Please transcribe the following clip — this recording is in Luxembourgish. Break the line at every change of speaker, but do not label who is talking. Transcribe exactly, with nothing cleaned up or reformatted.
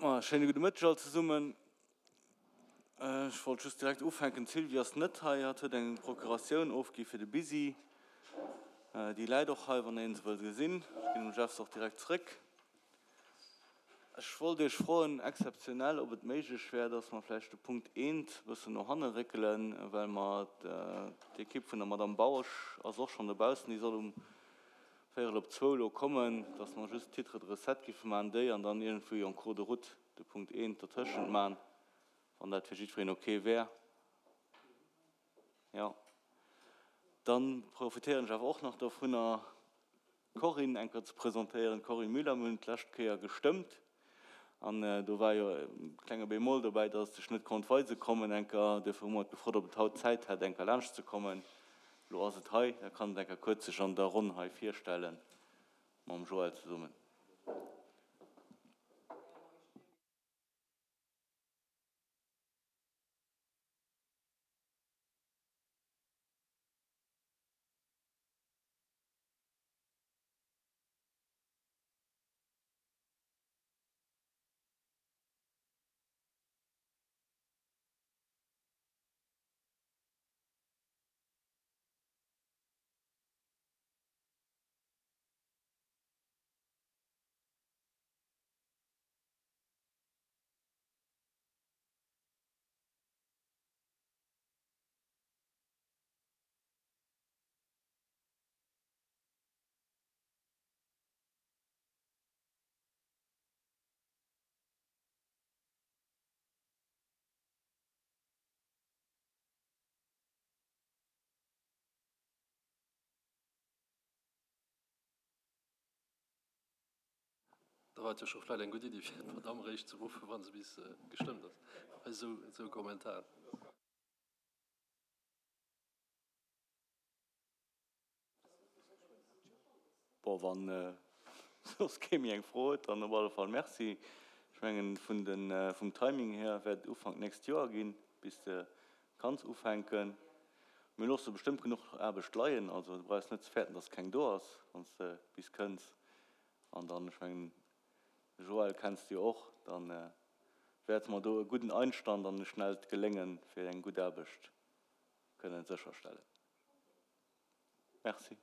Ma schéine gudde Mëtteg all zesummen. Ech wollt just direkt ufänken, d'Sylvie ass net hei, hatt huet eng Procuratioun ofgi fir de Bisi. Déi läit och hei, wann een se wëll gesinn. Ech ginn dem Jeff se och direkt zréck. Ech wollt Iech froen, exzeptionell, ob et méiglech wär, dass mer vläicht de Punkt eent e bëssen no hanne réckelen, well mer d'Ekipp vun der Madame Bausch ass och schonn dobaussen, déi soll um Véierel op zwou elo kommen, dass mer just d'Titres de recettes giffe maachen, déi, an dann iergendwéi en cours de route de Punkt eent dertëschent maachen, wann dat fir jiddwereen ok wär. Jo. Dann profitéieren ech awer och nach dovunner, d'Corinne eng Kéier ze presentéieren. D'Corinne Müller, mir hunn d'lescht Kéier gestëmmt an do war jo e klenge Bémol dobäi, dass et sech net konnt weise kommen eng Kéier. Duerfir hu mer et gefrot, ob et haut Zäit hätt, eng Kéier laanscht ze kommen. Lo ass et hei, da kann et eng Kéier kuerz sech an der Ronn hei virstellen mam Joël zesummen.
Da war et jo scho vläicht eng gutt Iddi, fir d'Madamm eréischt ze ruffen, wa se bis gestëmmt ass, bei esou Kommentaren.
Bon, wann soss kee méi eng Fro huet, dann op alle Fall Merci. Ech mengen, vun de, vum Timing hier wäert et Ufank d'nächst Joer ginn, bis de kanns ufänken. Mir loosse bestëmmt genuch Aarbecht leien, also du brauchs net ze fäerten, dass keng do ass, wann s de bis kënns. An dann, ech mengen, de Joël kenns de jo och, da wäerte mer do e gudden Einstand an e schnellt Gelénge fir eng gutt Aarbecht kënnen sécherstellen. Merci.